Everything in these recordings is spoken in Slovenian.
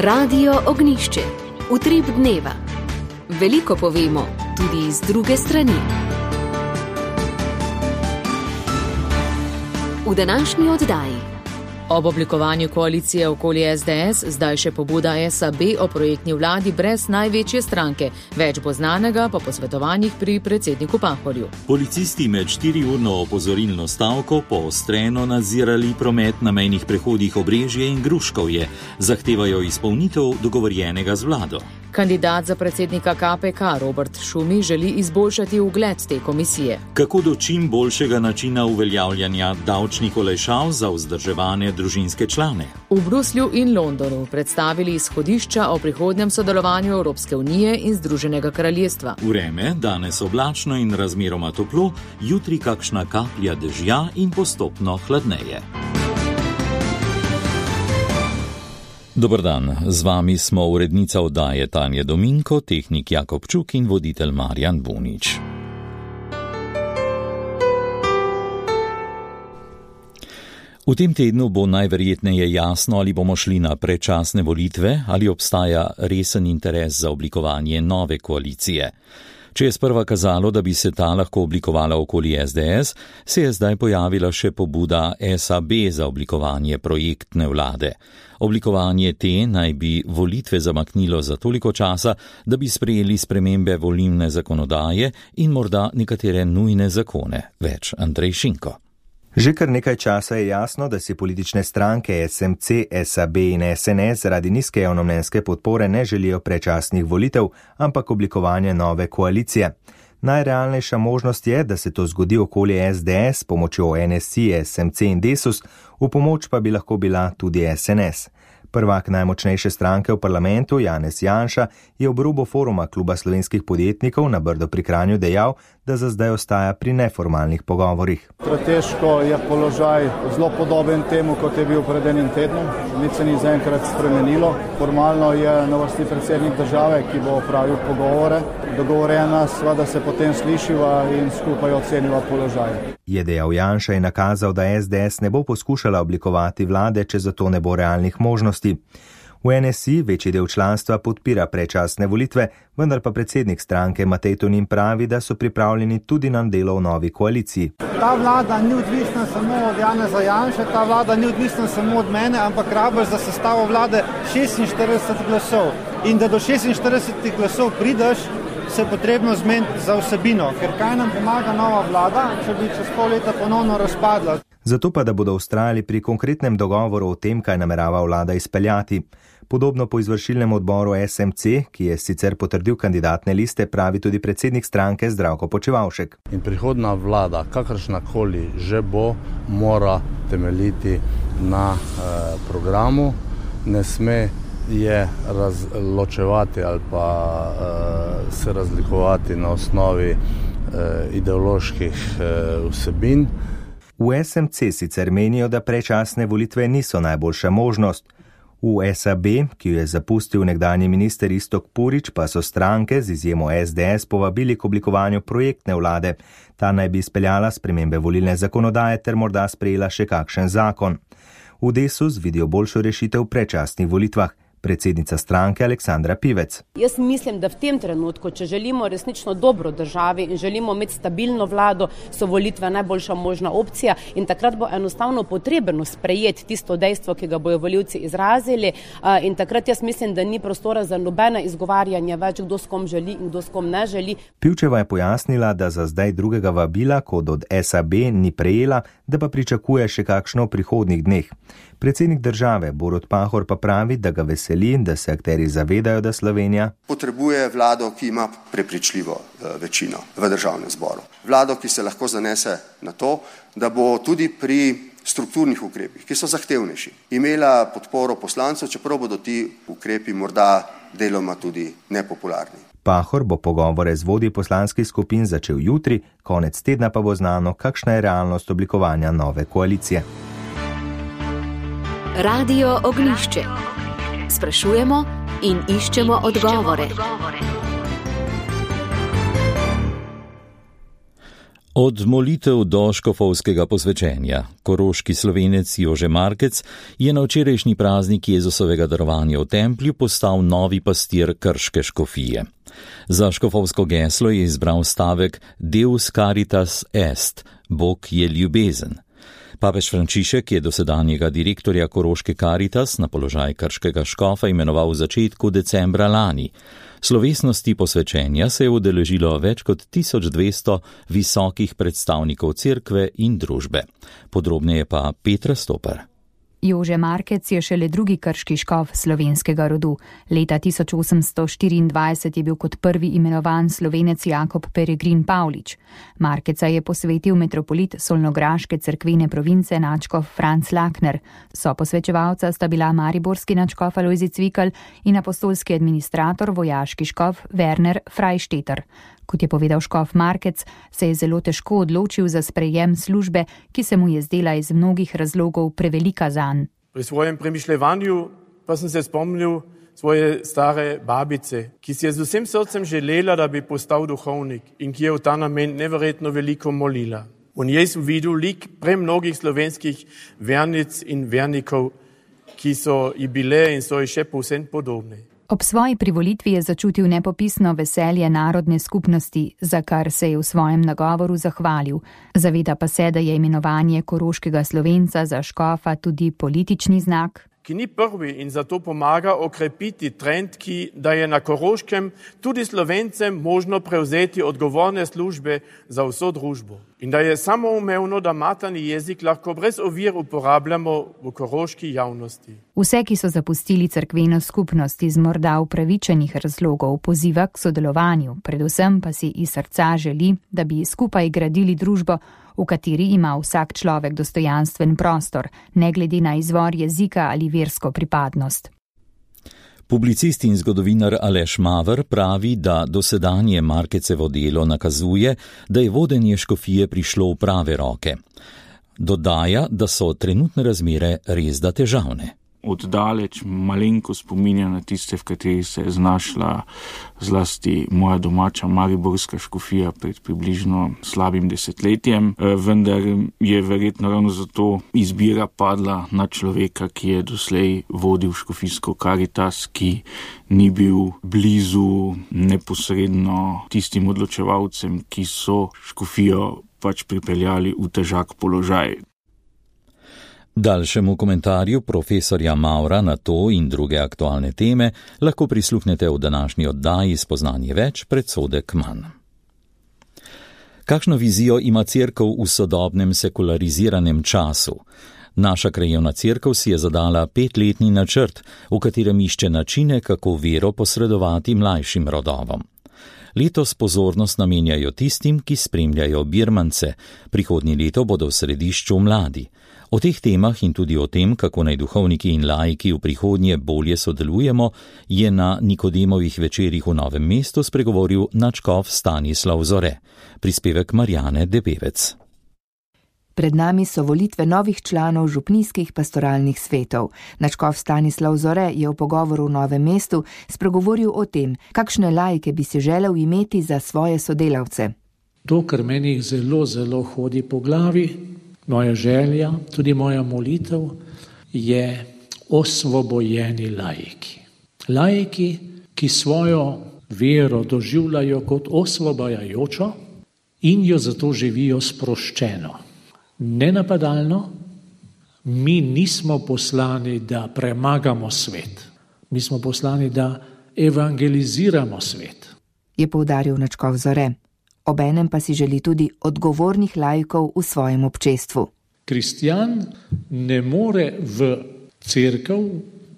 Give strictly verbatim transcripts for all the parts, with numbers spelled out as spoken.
Radio Ognjišče. Utrip dneva. Veliko povemo, tudi iz druge strani. V današnji oddaji. Ob oblikovanju koalicije okoli es de es zdaj še pobuda es a be o projektni vladi brez največje stranke. Več bo znanega po posvetovanjih pri predsedniku Pahorju. Policisti med štiriurno opozorilno stavko poostreno nadzirali promet na mejnih prehodih Obrežje in Gruškovje. Zahtevajo izpolnitev dogovorjenega z vlado. Kandidat za predsednika ka pe ka Robert Šumi želi izboljšati ugled te komisije. Kako do čim boljšega načina uveljavljanja davčnih olajšav za vzdrževane družinske člane? V Bruslju in Londonu predstavili izhodišča o prihodnjem sodelovanju Evropske unije in Združenega kraljestva. Vreme, danes oblačno in razmeroma toplo, jutri kakšna kaplja dežja in postopno hladneje. Dobar dan, z vami smo urednica oddaje Tanja Dominko, tehnik Jakob Čuk in voditelj Marjan Bunič. V tem tednu bo najverjetneje jasno, ali bomo šli na predčasne volitve, ali obstaja resen interes za oblikovanje nove koalicije. Če je sprva kazalo, da bi se ta lahko oblikovala okoli es de es, se je zdaj pojavila še pobuda es a be za oblikovanje projektne vlade. Oblikovanje te naj bi volitve zamaknilo za toliko časa, da bi sprejeli spremembe volilne zakonodaje in morda nekatere nujne zakone. Več Andrej Šinko. Že kar nekaj časa je jasno, da si politične stranke es em ce, es a be in es en es zaradi nizke javnomnenjske podpore ne želijo predčasnih volitev, ampak oblikovanje nove koalicije. Najrealnejša možnost je, da se to zgodi okoli es de es s pomočjo en es i, es em ce in Desus, v pomoč pa bi lahko bila tudi es en es. Prvak najmočnejše stranke v parlamentu, Janez Janša, je ob robu foruma Kluba slovenskih podjetnikov na Brdo pri Kranju dejal, da za zdaj ostaja pri neformalnih pogovorih. Strateško je položaj zelo podoben temu, kot je bil pred enim tednom. Nič se ni zaenkrat spremenilo. Formalno je na vrsti predsednik države, ki bo opravil pogovore. Dogovorjena sva, da se potem slišiva in skupaj oceniva položaj. Je dejal Janša in nakazal, da es de es ne bo poskušala oblikovati vlade, če za to ne bo realnih možnosti. V en es i večji del članstva podpira predčasne volitve, vendar pa predsednik stranke Matej Tonin pravi, da so pripravljeni tudi na delo v novi koaliciji. Ta vlada ni odvisna samo od Janeza Janše, ta vlada ni odvisna samo od mene, ampak rabiš za sestavo vlade šestinštirideset glasov. In da do šestinštirideset glasov prideš, se je potrebno zmeniti za vsebino, ker kaj nam pomaga nova vlada, če bi čez pol leta ponovno razpadla. Zato pa, da bodo vztrajali pri konkretnem dogovoru o tem, kaj namerava vlada izpeljati. Podobno po izvršilnem odboru es em ce, ki je sicer potrdil kandidatne liste, pravi tudi predsednik stranke Zdravko Počivalšek. In prihodna vlada, kakršnakoli že bo, mora temeljiti na eh, programu, ne sme je razločevati ali pa uh, se razlikovati na osnovi uh, ideoloških uh, vsebin. V es em ce sicer menijo, da predčasne volitve niso najboljša možnost. V es a be, ki jo je zapustil nekdanji minister Iztok Purič, pa so stranke z izjemo es de es povabili k oblikovanju projektne vlade. Ta naj bi izpeljala spremembe volilne zakonodaje ter morda sprejela še kakšen zakon. V Desus vidijo boljšo rešitev v predčasnih volitvah. Predsednica stranke Aleksandra Pivec. Jaz mislim, da v tem trenutku, če želimo resnično dobro državi in želimo imeti stabilno vlado, so volitve najboljša možna opcija in takrat bo enostavno potrebno sprejeti tisto dejstvo, ki ga bojo volivci izrazili in takrat jaz mislim, da ni prostora za nobene izgovarjanje več, kdo s kom želi in kdo s kom ne želi. Pivčeva je pojasnila, da za zdaj drugega vabila kot od es a be ni prejela, da pa pričakuje še kakšno v prihodnjih dneh. Predsednik države Borut Pahor pa pravi, da ga veseli, da se akteri zavedajo, da Slovenija potrebuje vlado, ki ima prepričljivo večino v državnem zboru. Vlado, ki se lahko zanese na to, da bo tudi pri strukturnih ukrepih, ki so zahtevnejši, imela podporo poslancev, čeprav bodo ti ukrepi morda deloma tudi nepopularni. Pahor bo pogovore z vodji poslanskih skupin začel jutri, konec tedna pa bo znano, kakšna je realnost oblikovanja nove koalicije. Radio Ognjišče. Sprašujemo in iščemo odgovore. Od molitev do škofovskega posvečenja. Koroški Slovenec Jože Markec je na včerajšnji praznik Jezusovega darovanja v templju postal novi pastir krške škofije. Za škofovsko geslo je izbral stavek Deus caritas est, Bog je ljubezen. Papež Frančišek je dosedanjega direktorja Koroške Caritas na položaj krškega škofa imenoval v začetku decembra lani. Slovesnosti posvečenja se je udeležilo več kot tisoč dvesto visokih predstavnikov cerkve in družbe. Podrobneje pa Petra Stoper. Jože Markec je šele drugi krški škof slovenskega rodu. Leta tisoč osemsto štiriindvajset je bil kot prvi imenovan Slovenec Jakob Peregrin Pavlič. Markeca je posvetil metropolit solnograške cerkvene province nadškof Franc Lakner. So posvečevalca sta bila mariborski nadškof Alojzij Cvikl in apostolski administrator vojaški škof Werner Freistetter. Kot je povedal škof Markec, se je zelo težko odločil za sprejem službe, ki se mu je zdela iz mnogih razlogov prevelika zanj. Pri svojem premišljevanju pa sem se spomnil svoje stare babice, ki si je z vsem srcem želela, da bi postal duhovnik in ki je v ta namen neverjetno veliko molila. V njej sem videl lik premnogih slovenskih vernic in vernikov, ki so ji bile in so ji še povsem podobne. Ob svoji privolitvi je začutil nepopisno veselje narodne skupnosti, za kar se je v svojem nagovoru zahvalil. Zaveda pa se, da je imenovanje koroškega Slovenca za škofa tudi politični znak, ki ni prvi in zato pomaga okrepiti trend, ki da je na Koroškem tudi Slovencem možno prevzeti odgovorne službe za vso družbo. In da je samoumevno, da materni jezik lahko brez ovir uporabljamo v koroški javnosti. Vse, ki so zapustili cerkveno skupnost iz morda upravičenih razlogov, poziva k sodelovanju, predvsem pa si iz srca želi, da bi skupaj gradili družbo, v kateri ima vsak človek dostojanstven prostor, ne glede na izvor jezika ali versko pripadnost. Publicist in zgodovinar Aleš Maver pravi, da dosedanje Markecevo delo nakazuje, da je vodenje škofije prišlo v prave roke. Dodaja, da so trenutne razmere resda težavne. Oddaleč malenko spominja na tiste, v kateri se je znašla zlasti moja domača mariborska škofija pred približno slabim desetletjem, vendar je verjetno ravno zato izbira padla na človeka, ki je doslej vodil škofijsko Caritas, ki ni bil blizu neposredno tistim odločevalcem, ki so škofijo pač pripeljali v težak položaj. Daljšemu komentarju profesorja Maura na to in druge aktualne teme lahko prisluhnete v današnji oddaji Spoznanje več, predsodek manj. Kakšno vizijo ima cerkev v sodobnem sekulariziranem času? Naša krajevna cerkev si je zadala petletni načrt, v katerem išče načine, kako vero posredovati mlajšim rodovom. Letos pozornost namenjajo tistim, ki spremljajo birmance. Prihodnje leto bodo v središču mladi. O teh temah in tudi o tem, kako naj duhovniki in laiki v prihodnje bolje sodelujemo, je na Nikodemovih večerih v Novem mestu spregovoril nadškof Stanislav Zore. Prispevek Marjane Debevec. Pred nami so volitve novih članov župnijskih pastoralnih svetov. Nadškof Stanislav Zore je v pogovoru v Novem mestu spregovoril o tem, kakšne laike bi si želel imeti za svoje sodelavce. To, kar meni zelo, zelo hodi po glavi, moja želja, tudi moja molitev, je osvobojeni laiki. Laiki, ki svojo vero doživljajo kot osvobajajočo in jo zato živijo sproščeno. Nenapadalno, mi nismo poslani, da premagamo svet. Mi smo poslani, da evangeliziramo svet. Je poudaril nadškof Zore. Obenem pa si želi tudi odgovornih laikov v svojem občestvu. Kristjan ne more v cerkev,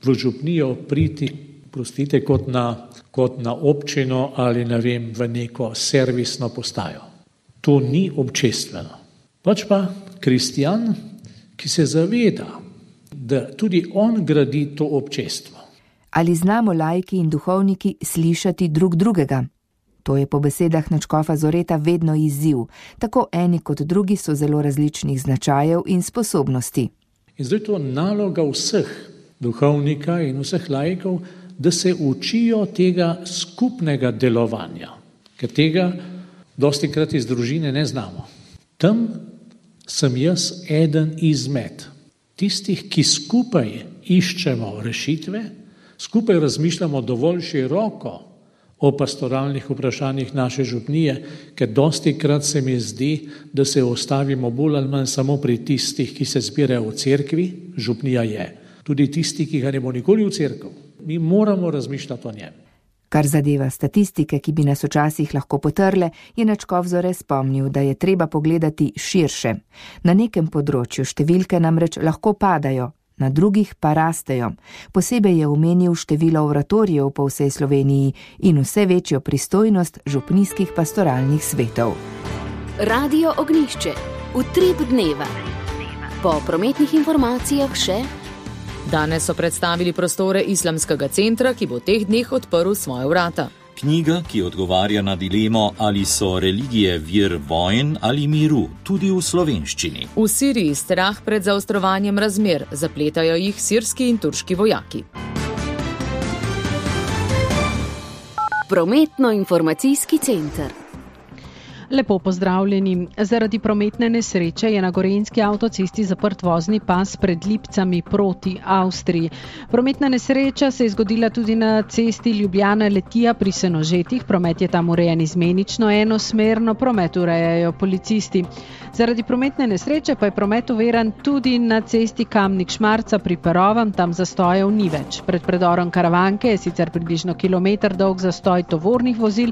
v župnijo priti, prostite, kot na, kot na občino ali ne vem, v neko servisno postajo. To ni občestveno. Pač pa kristjan, ki se zaveda, da tudi on gradi to občestvo. Ali znamo laiki in duhovniki slišati drug drugega? To je po besedah nadškofa Zoreta vedno izziv. Tako eni kot drugi so zelo različnih značajev in sposobnosti. In zdaj to naloga vseh duhovnika in vseh laikov, da se učijo tega skupnega delovanja. Ker tega dostikrat iz družine ne znamo. Tam sem jaz eden izmed tistih, ki skupaj iščemo rešitve, skupaj razmišljamo dovolj široko o pastoralnih vprašanjih naše župnije, ker dosti krat se mi zdi, da se ostavimo bolj ali manj samo pri tistih, ki se zbirajo v cerkvi, župnija je. Tudi tisti, ki ga ne bo nikoli v cerkev. Mi moramo razmišljati o njem. Kar zadeva statistike, ki bi nas včasih lahko potrle, je Načkov Zore spomnil, da je treba pogledati širše. Na nekem področju številke namreč lahko padajo, na drugih pa rastejo. Posebej je omenil število oratorijev po vsej Sloveniji in vse večjo pristojnost župnijskih pastoralnih svetov. Radio Ognjišče. Utrip dneva. Po prometnih informacijah še... Danes so predstavili prostore Islamskega centra, ki bo teh dneh odprl svoje vrata. Knjiga, ki odgovarja na dilemo, ali so religije vir vojn ali miru, tudi v slovenščini. V Siriji strah pred zaostrovanjem razmer, zapletajo jih sirski in turški vojaki. Prometno-informacijski center. Lepo pozdravljeni. Zaradi prometne nesreče je na gorenjski avtocesti zaprt vozni pas pred Lipcami proti Avstriji. Prometna nesreča se je zgodila tudi na cesti Ljubljana-Letija pri Senožetih. Promet je tam urejen izmenično, enosmerno, promet urejajo policisti. Zaradi prometne nesreče pa je promet uveran tudi na cesti Kamnik-Šmarca pri Perovem, tam zastojev ni več. Pred predorom Karavanke je sicer približno kilometer dolg zastoj tovornih vozil.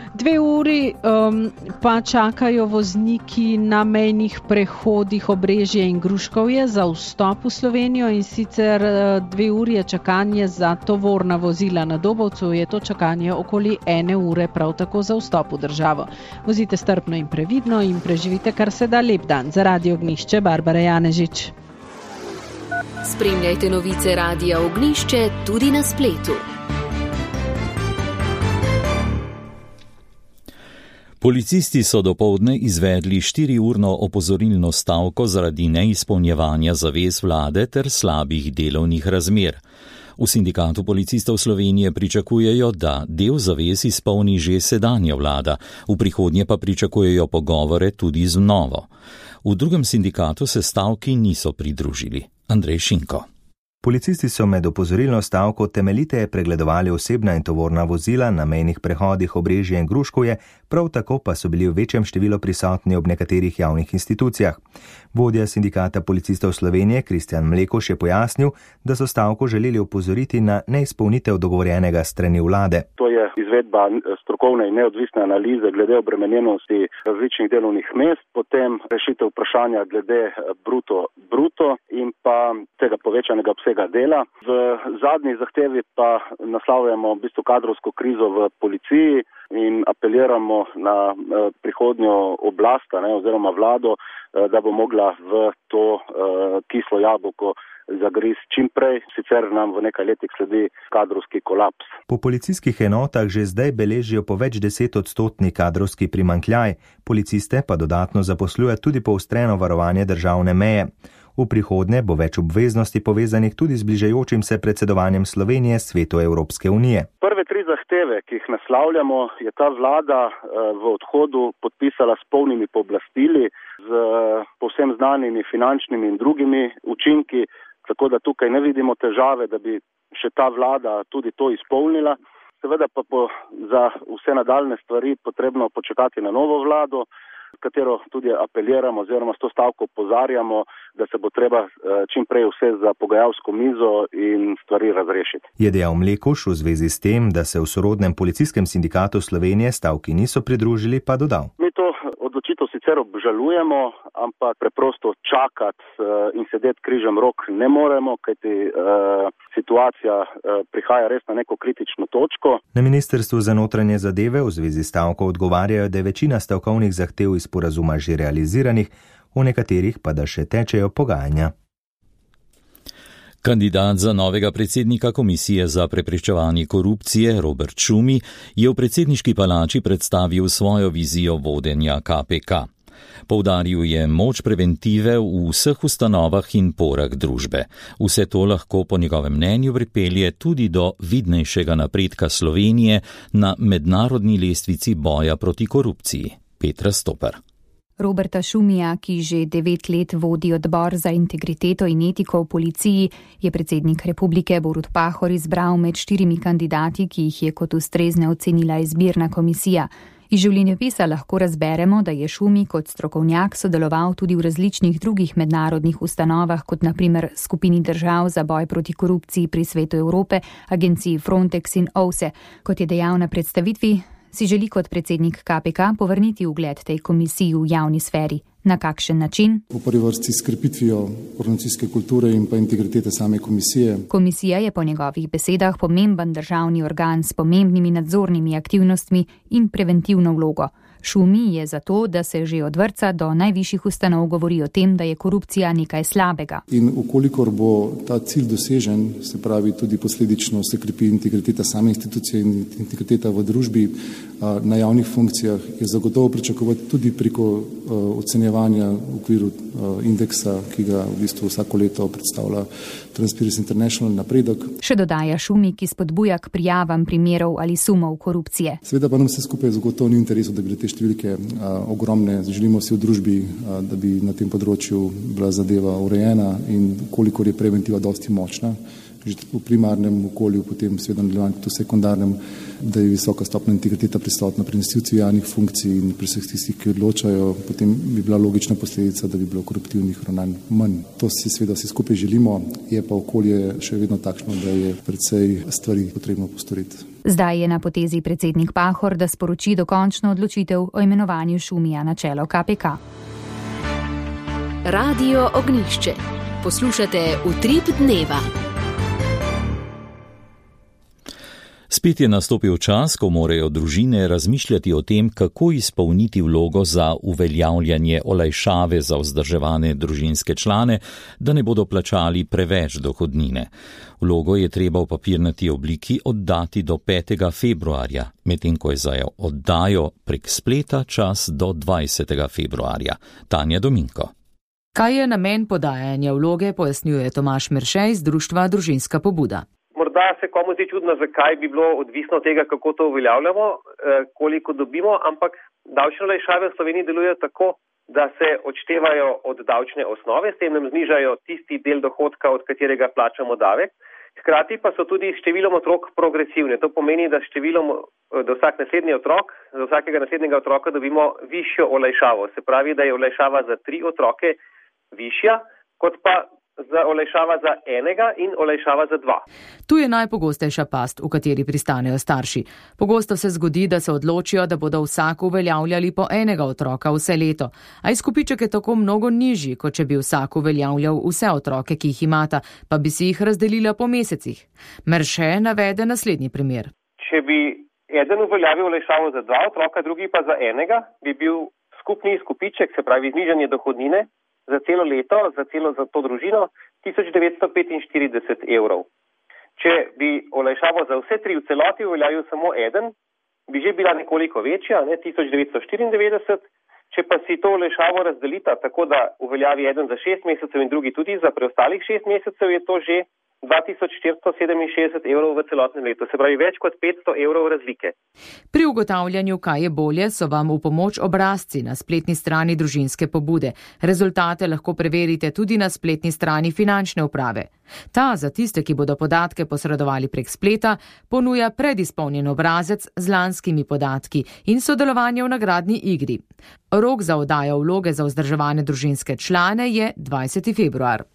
Dve uri um, pa čakajo vozniki na mejnih prehodih Obrežje in Gruškovje za vstop v Slovenijo in sicer dve uri je čakanje za tovorna vozila. Na Dobovcu je to čakanje okoli ene ure prav tako za vstop v državo. Vozite strpno in previdno in preživite kar se da lep dan. Za Radio Ognjišče, Barbara Janežič. Spremljajte novice Radia Ognjišče tudi na spletu. Policisti so dopoldne izvedli štiriurno opozorilno stavko zaradi neizpolnjevanja zavez vlade ter slabih delovnih razmer. V Sindikatu policistov Slovenije pričakujejo, da del zavez izpolni že sedanja vlada, v prihodnje pa pričakujejo pogovore tudi z novo. V drugem sindikatu se stavki niso pridružili. Andrej Šinko. Policisti so med opozorilno stavko temeljiteje pregledovali osebna in tovorna vozila na mejnih prehodih Obrežje in Gruškovje, prav tako pa so bili v večjem številu prisotni ob nekaterih javnih institucijah. Vodja Sindikata policistov Slovenije Kristjan Mlekoš je pojasnil, da so stavko želeli opozoriti na neizpolnitev dogovorjenega strani vlade. To je izvedba strokovne in neodvisne analize glede obremenjenosti različnih delovnih mest, potem rešitev vprašanja glede bruto bruto in pa tega povečanega obsega dela. V zadnji zahtevi pa naslavljamo v bistvu kadrovsko krizo v policiji in apeliramo na eh, prihodnjo oblast, ne, oziroma vlado, eh, da bo mogla v to eh, kislo jabolko zagriz čim prej, sicer nam v nekaj letih sledi kadrovski kolaps. Po policijskih enotah že zdaj beležijo po več deset odstotni kadrovski primanjkljaj, policiste pa dodatno zaposluje tudi poostreno varovanje državne meje. V prihodnje bo več obveznosti povezanih tudi z bližajočim se predsedovanjem Slovenije Svetu Evropske unije. Prve tri zahteve, ki jih naslavljamo, je ta vlada v odhodu podpisala s polnimi pooblastili, z povsem znanimi finančnimi in drugimi učinki, tako da tukaj ne vidimo težave, da bi še ta vlada tudi to izpolnila. Seveda pa bo za vse nadaljne stvari potrebno počakati na novo vlado, katero tudi apeliramo oziroma s to stavko opozarjamo, da se bo treba čim prej vse za pogajalsko mizo in stvari razrešiti. Je dejal Mlekoš v zvezi s tem, da se v sorodnem policijskem sindikatu Slovenije stavki niso pridružili, pa dodal. Mi to odločitev sicer obžalujemo, ampak preprosto čakati in sedeti križem rok ne moremo, kajti uh, situacija uh, prihaja res na neko kritično točko. Na Ministrstvu za notranje zadeve v zvezi s stavko odgovarjajo, da je večina stavkovnih zahtev iz sporazuma že realiziranih, v nekaterih pa da še tečejo pogajanja. Kandidat za novega predsednika Komisije za preprečevanje korupcije Robert Šumi je v predsedniški palači predstavil svojo vizijo vodenja K P K. Poudaril je moč preventive v vseh ustanovah in porah družbe. Vse to lahko po njegovem mnenju pripelje tudi do vidnejšega napredka Slovenije na mednarodni lestvici boja proti korupciji. Petra Stopar. Roberta Šumija, ki že devet let vodi odbor za integriteto in etiko v policiji, je predsednik republike Borut Pahor izbral med štirimi kandidati, ki jih je kot ustrezne ocenila izbirna komisija. Iz življenjepisa lahko razberemo, da je Šumi kot strokovnjak sodeloval tudi v različnih drugih mednarodnih ustanovah, kot na primer skupini držav za boj proti korupciji pri Svetu Evrope, agenciji Frontex in O V S E. Kot je dejal na predstavitvi, si želi kot predsednik K P K povrniti ugled tej komisiji v javni sferi. Na kakšen način? V prvi vrsti s krepitvijo organizacijske kulture in pa integritete same komisije. Komisija je po njegovih besedah pomemben državni organ s pomembnimi nadzornimi aktivnostmi in preventivno vlogo. Šumi je zato, da se že od vrtca do najvišjih ustanov govori o tem, da je korupcija nekaj slabega. In ukolikor bo ta cilj dosežen, se pravi tudi posledično se krepi integriteta same institucije in integriteta v družbi na javnih funkcijah, je zagotovo pričakovati tudi preko ocenjevanja v okviru indeksa, ki ga v bistvu vsako leto predstavlja Transparency International napredek. Še dodaja Šumi, ki spodbuja k prijavam primerov ali sumov korupcije. Seveda pa nam vse skupaj zagotovo ni v interesu, da bi te številke a, ogromne. Želimo si v družbi, a, da bi na tem področju bila zadeva urejena in kolikor je preventiva dosti močna, že v primarnem okolju, potem seveda nadaljevanje tudi v sekundarnem, da je visoka stopnja integriteta prisotna pri nosilcih javnih funkcij in pri vseh tistih, ki odločajo, potem bi bila logična posledica, da bi bilo koruptivnih ravnanj manj. To si seveda vsi skupaj želimo, je pa okolje še vedno takšno, da je precej stvari potrebno postoriti. Zdaj je na potezi predsednik Pahor, da sporoči dokončno odločitev o imenovanju Šumija na čelo K P K. Radio Ognjišče. Poslušate Utrip dneva. Spet je nastopil čas, ko morajo družine razmišljati o tem, kako izpolniti vlogo za uveljavljanje olajšave za vzdrževane družinske člane, da ne bodo plačali preveč dohodnine. Vlogo je treba v papirnati obliki oddati do petega februarja, medtem ko je za oddajo prek spleta čas do dvajsetega februarja. Tanja Dominko. Kaj je namen podajanja vloge, pojasnjuje Tomaž Merše iz društva Družinska pobuda. Morda se komu zdi čudno, zakaj bi bilo odvisno od tega, kako to uveljavljamo, koliko dobimo, ampak davčne olajšave v Sloveniji delujejo tako, da se odštevajo od davčne osnove, s tem nam znižajo tisti del dohodka, od katerega plačamo davek. Hkrati pa so tudi številom otrok progresivne. To pomeni, da številom, da vsak naslednji otrok, za vsakega naslednjega otroka dobimo višjo olajšavo. Se pravi, da je olajšava za tri otroke višja, kot pa za olajšava za enega in olajšava za dva. Tu je najpogostejša past, v kateri pristanejo starši. Pogosto se zgodi, da se odločijo, da bodo vsako uveljavljali po enega otroka vse leto. A izkupiček je tako mnogo nižji, kot če bi vsako uveljavljal vse otroke, ki jih imata, pa bi si jih razdelila po mesecih. Merše navede naslednji primer. Če bi eden uveljavil olajšavo za dva otroka, drugi pa za enega, bi bil skupni izkupiček, se pravi znižanje dohodnine, za celo leto, za celo za to družino, tisoč devetsto petinštirideset evrov. Če bi olajšavo za vse tri v celoti uveljavil samo eden, bi že bila nekoliko večja, ne, tisoč devetsto štiriindevetdeset. Če pa si to olajšavo razdelita tako, da uveljavi eden za šest mesecev in drugi tudi za preostalih šest mesecev, je to že dva tisoč štiristo sedeminšestdeset evrov v celotnem letu, se pravi več kot petsto evrov razlike. Pri ugotavljanju, kaj je bolje, so vam v pomoč obrazci na spletni strani Družinske pobude. Rezultate lahko preverite tudi na spletni strani Finančne uprave. Ta za tiste, ki bodo podatke posredovali prek spleta, ponuja predizpolnjen obrazec z lanskimi podatki in sodelovanje v nagradni igri. Rok za oddajo vloge za vzdrževane družinske člane je dvajseti februar.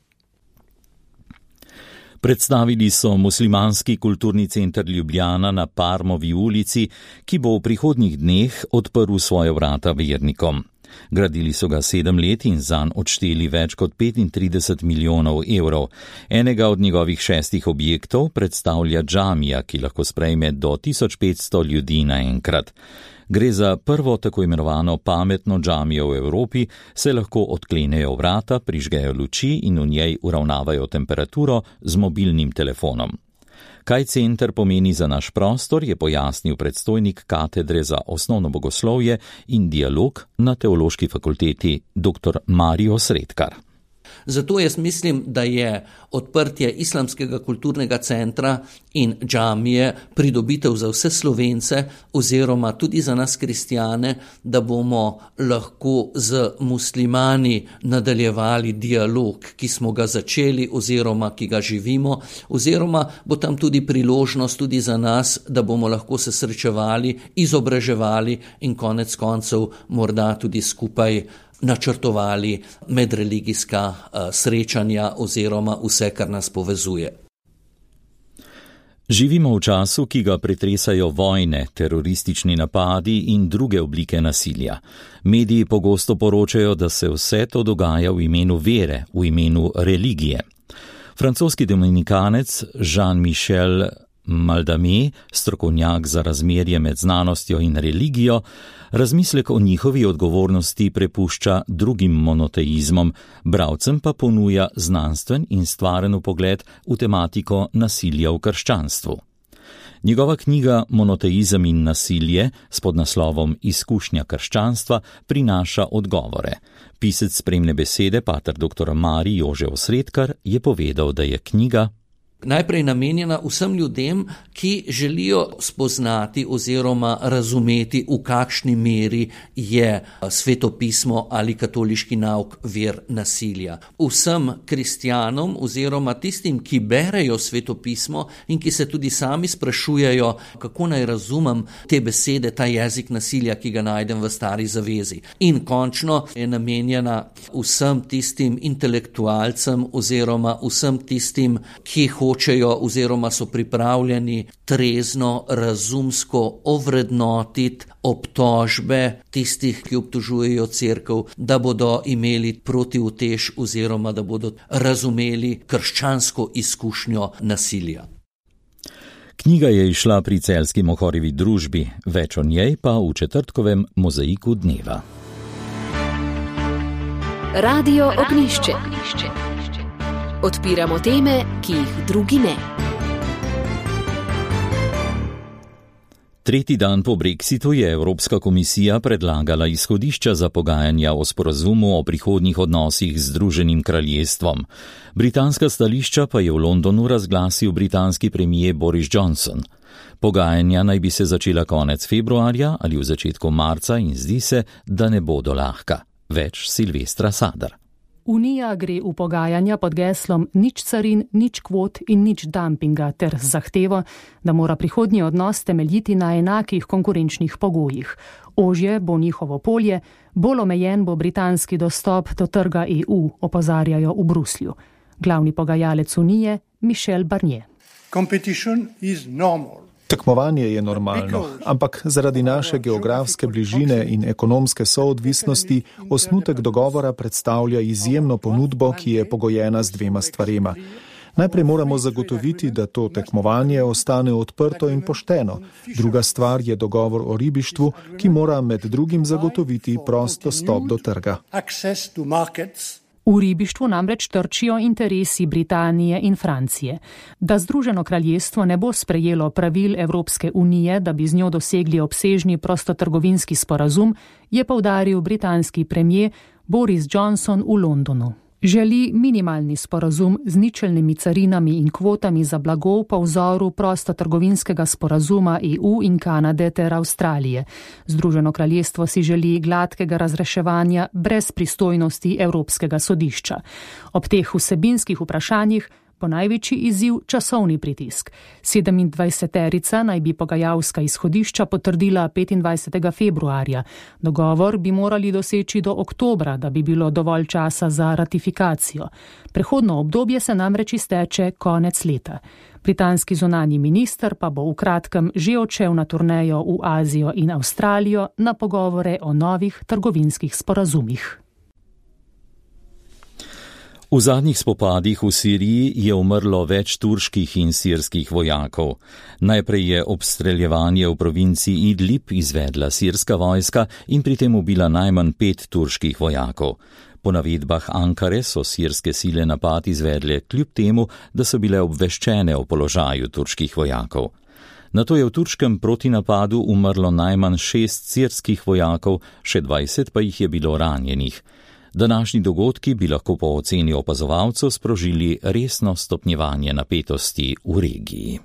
Predstavili so muslimanski kulturni center Ljubljana na Parmovi ulici, ki bo v prihodnjih dneh odprl svoje vrata vernikom. Gradili so ga sedem let in zanj odšteli več kot petintrideset milijonov evrov. Enega od njegovih šestih objektov predstavlja džamija, ki lahko sprejme do tisoč petsto ljudi naenkrat. Gre za prvo tako imenovano pametno džamijo v Evropi, se lahko odklenejo vrata, prižgejo luči in v njej uravnavajo temperaturo z mobilnim telefonom. Kaj center pomeni za naš prostor, je pojasnil predstojnik katedre za osnovno bogoslovje in dialog na Teološki fakulteti dr. Mario Sredkar. Zato jaz mislim, da je odprtje islamskega kulturnega centra in džamije pridobitev za vse Slovence oziroma tudi za nas kristjane, da bomo lahko z muslimani nadaljevali dialog, ki smo ga začeli oziroma ki ga živimo, oziroma bo tam tudi priložnost tudi za nas, da bomo lahko se srečevali, izobraževali in konec koncev morda tudi skupaj načrtovali medreligijska uh, srečanja oziroma vse, kar nas povezuje. Živimo v času, ki ga pretresajo vojne, teroristični napadi in druge oblike nasilja. Mediji pogosto poročajo, da se vse to dogaja v imenu vere, v imenu religije. Francoski dominikanec Jean-Michel Maldamet, strokovnjak za razmerje med znanostjo in religijo, razmislek o njihovi odgovornosti prepušča drugim monoteizmom, bralcem pa ponuja znanstven in stvaren pogled v tematiko nasilja v krščanstvu. Njegova knjiga Monoteizem in nasilje s podnaslovom Izkušnja krščanstva prinaša odgovore. Pisec spremne besede, pater doktor Marij Jože Osredkar, je povedal, da je knjiga najprej namenjena vsem ljudem, ki želijo spoznati oziroma razumeti, v kakšni meri je svetopismo ali katoliški nauk vir nasilja. Vsem kristjanom oziroma tistim, ki berejo svetopismo in ki se tudi sami sprašujejo, kako naj razumem te besede, ta jezik nasilja, ki ga najdem v Stari zavezi. In končno je namenjena vsem tistim intelektualcem oziroma vsem tistim, ki hočejo hočejo oziroma so pripravljeni trezno, razumsko ovrednotiti obtožbe tistih, ki obtožujejo cerkev, da bodo imeli protiutež oziroma da bodo razumeli krščansko izkušnjo nasilja. Knjiga je izšla pri Celjski Mohorjevi družbi, več o njej pa v četrtkovem Mozaiku dneva. Radio Ognjišče. Odpiramo teme, ki jih drugi ne. Tretji dan po Brexitu je Evropska komisija predlagala izhodišča za pogajanja o sporazumu o prihodnjih odnosih z Združenim kraljestvom. Britanska stališča pa je v Londonu razglasil britanski premier Boris Johnson. Pogajanja naj bi se začela konec februarja ali v začetku marca in zdi se, da ne bodo lahka. Več Silvestra Sadar. Unija gre v pogajanja pod geslom nič carin, nič kvot in nič dumpinga ter z zahtevo, da mora prihodnji odnos temeljiti na enakih konkurenčnih pogojih. Ožje bo njihovo polje, bolj omejen bo britanski dostop do trga E U, opozarjajo v Bruslju. Glavni pogajalec Unije Michel Barnier. Competition is normal. Tekmovanje je normalno, ampak zaradi naše geografske bližine in ekonomske soodvisnosti osnutek dogovora predstavlja izjemno ponudbo, ki je pogojena z dvema stvarema. Najprej moramo zagotoviti, da to tekmovanje ostane odprto in pošteno. Druga stvar je dogovor o ribištvu, ki mora med drugim zagotoviti prost dostop do trga. V ribištvu namreč trčijo interesi Britanije in Francije. Da Združeno kraljestvo ne bo sprejelo pravil Evropske unije, da bi z njo dosegli obsežni prostotrgovinski sporazum, je poudaril britanski premier Boris Johnson v Londonu. Želi minimalni sporazum z ničelnimi carinami in kvotami za blago po vzoru prostotrgovinskega sporazuma E U in Kanade ter Avstralije. Združeno kraljestvo si želi gladkega razreševanja brez pristojnosti Evropskega sodišča. Ob teh vsebinskih vprašanjih bo največji izziv časovni pritisk. Sedemindvajseterica naj bi pogajalska izhodišča potrdila petindvajsetega februarja. Dogovor bi morali doseči do oktobra, da bi bilo dovolj časa za ratifikacijo. Prehodno obdobje se namreč izteče konec leta. Britanski zunanji minister pa bo v kratkem že odšel na turnejo v Azijo in Avstralijo na pogovore o novih trgovinskih sporazumih. V zadnjih spopadih v Siriji je umrlo več turških in sirskih vojakov. Najprej je obstreljevanje v provinci Idlib izvedla sirska vojska in pri tem ubila najmanj pet turških vojakov. Po navedbah Ankare so sirske sile napad izvedle kljub temu, da so bile obveščene o položaju turških vojakov. Nato je v turškem protinapadu umrlo najmanj šest sirskih vojakov, še dvajset pa jih je bilo ranjenih. Današnji dogodki bi lahko po oceni opazovalcev sprožili resno stopnjevanje napetosti v regiji.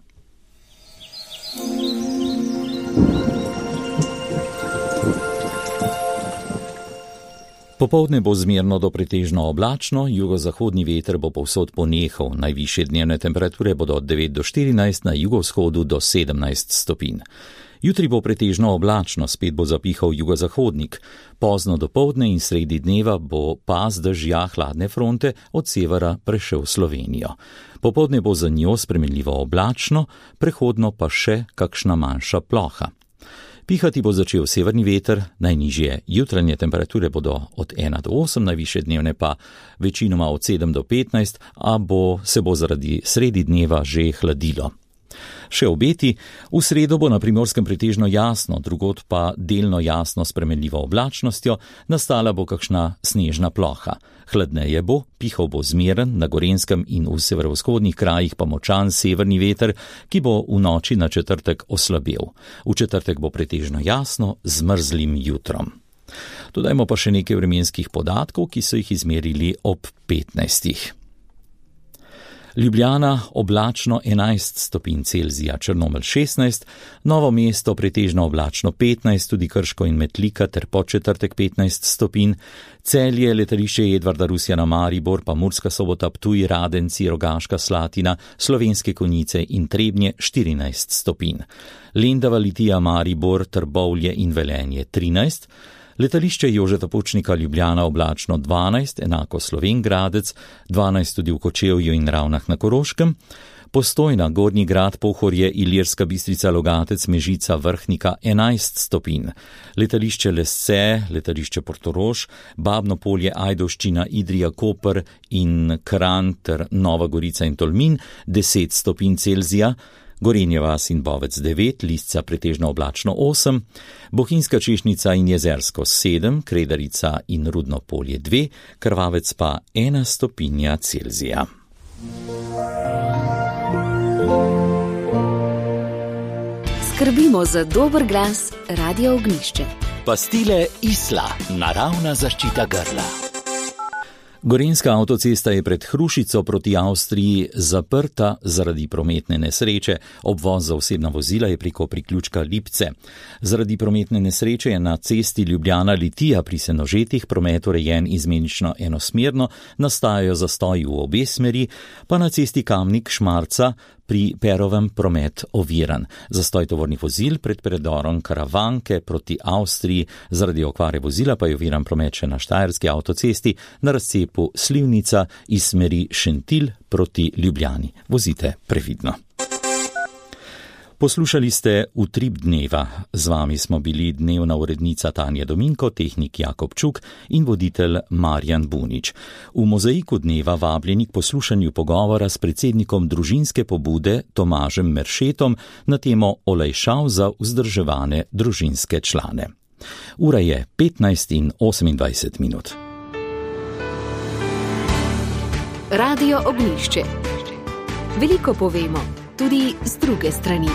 Popoldne bo zmerno do pretežno oblačno, jugozahodni veter bo povsod ponehal, najvišje dnevne temperature bodo od devet do štirinajst, na jugovzhodu do sedemnajst stopinj. Jutri bo pretežno oblačno, spet bo zapihal jugozahodnik. Pozno dopoldne in sredi dneva bo pas dežja hladne fronte od severa prešel Slovenijo. Popoldne bo za njo spremenljivo oblačno, prehodno pa še kakšna manjša ploha. Pihati bo začel severni veter, najnižje jutranje temperature bodo od ena do osem, najvišje dnevne pa večinoma od sedem do petnajst, a bo, se bo zaradi sredi dneva že hladilo. Še obeti, v sredo bo na Primorskem pretežno jasno, drugod pa delno jasno s spremenljivo oblačnostjo, nastala bo kakšna snežna ploha. Hladneje bo, pihal bo zmeren, na Gorenjskem in v severovzhodnih krajih pa močan severni veter, ki bo v noči na četrtek oslabel. V četrtek bo pretežno jasno z mrzlim jutrom. Dodajmo pa še nekaj vremenskih podatkov, ki so jih izmerili ob petnajstih. Ljubljana oblačno enajst stopinj Celzija, Črnomelj šestnajst, Novo mesto pretežno oblačno petnajst, tudi Krško in Metlika ter Podčetrtek petnajst stopinj, Celje, letališče Edvarda Rusjana Maribor, pa Murska Sobota, Ptuj, Radenci, Rogaška Slatina, Slovenske Konjice in Trebnje štirinajst stopinj, Lendava, Litija, Maribor, Trbovlje in Velenje trinajst, letališče Jožeta Pučnika Ljubljana oblačno dvanajst, enako Slovenj Gradec, dvanajst tudi v Kočevju in Ravnah na Koroškem, Postojna, Gornji Grad, Pohorje, Ilirska Bistrica, Logatec, Mežica, Vrhnika enajst stopinj, letališče Lesce, letališče Portorož, Babno Polje, Ajdovščina, Idrija, Koper in Kranj ter Nova Gorica in Tolmin deset stopinj Celzija, Gorenje vas in Bovec devet, Lisca pretežno oblačno osem, Bohinjska Češnjica in Jezersko sedem, Kredarica in Rudno Polje dve, Krvavec pa ena stopinja Celzija. Skrbimo za dober glas, Radio Ognjišče. Pastile Isla, naravna zaščita grla. Gorenjska avtocesta je pred Hrušico proti Avstriji zaprta zaradi prometne nesreče. Obvoz za osebna vozila je preko priključka Lipce. Zaradi prometne nesreče je na cesti Ljubljana-Litija pri Senožetih promet urejen izmenično enosmerno, nastajajo zastoji v obe smeri, pa na cesti Kamnik-Šmarca pri Perovem promet oviran. Zastoj tovornih vozil pred predorom Karavanke proti Avstriji, zaradi okvare vozila pa je oviran promet še na Štajerski avtocesti na razcepu Slivnica iz smeri Šentilj proti Ljubljani. Vozite previdno. Poslušali ste Utrip dneva. Z vami smo bili dnevna urednica Tanja Dominko, tehnik Jakob Čuk in voditelj Marjan Bunič. V mozaiku dneva vabljeni k poslušanju pogovora s predsednikom družinske pobude Tomažem Meršetom na temo olajšav za vzdrževane družinske člane. Ura je petnajst in osemindvajset minut. Radio Ognjišče. Veliko povemo, tudi z druge strani.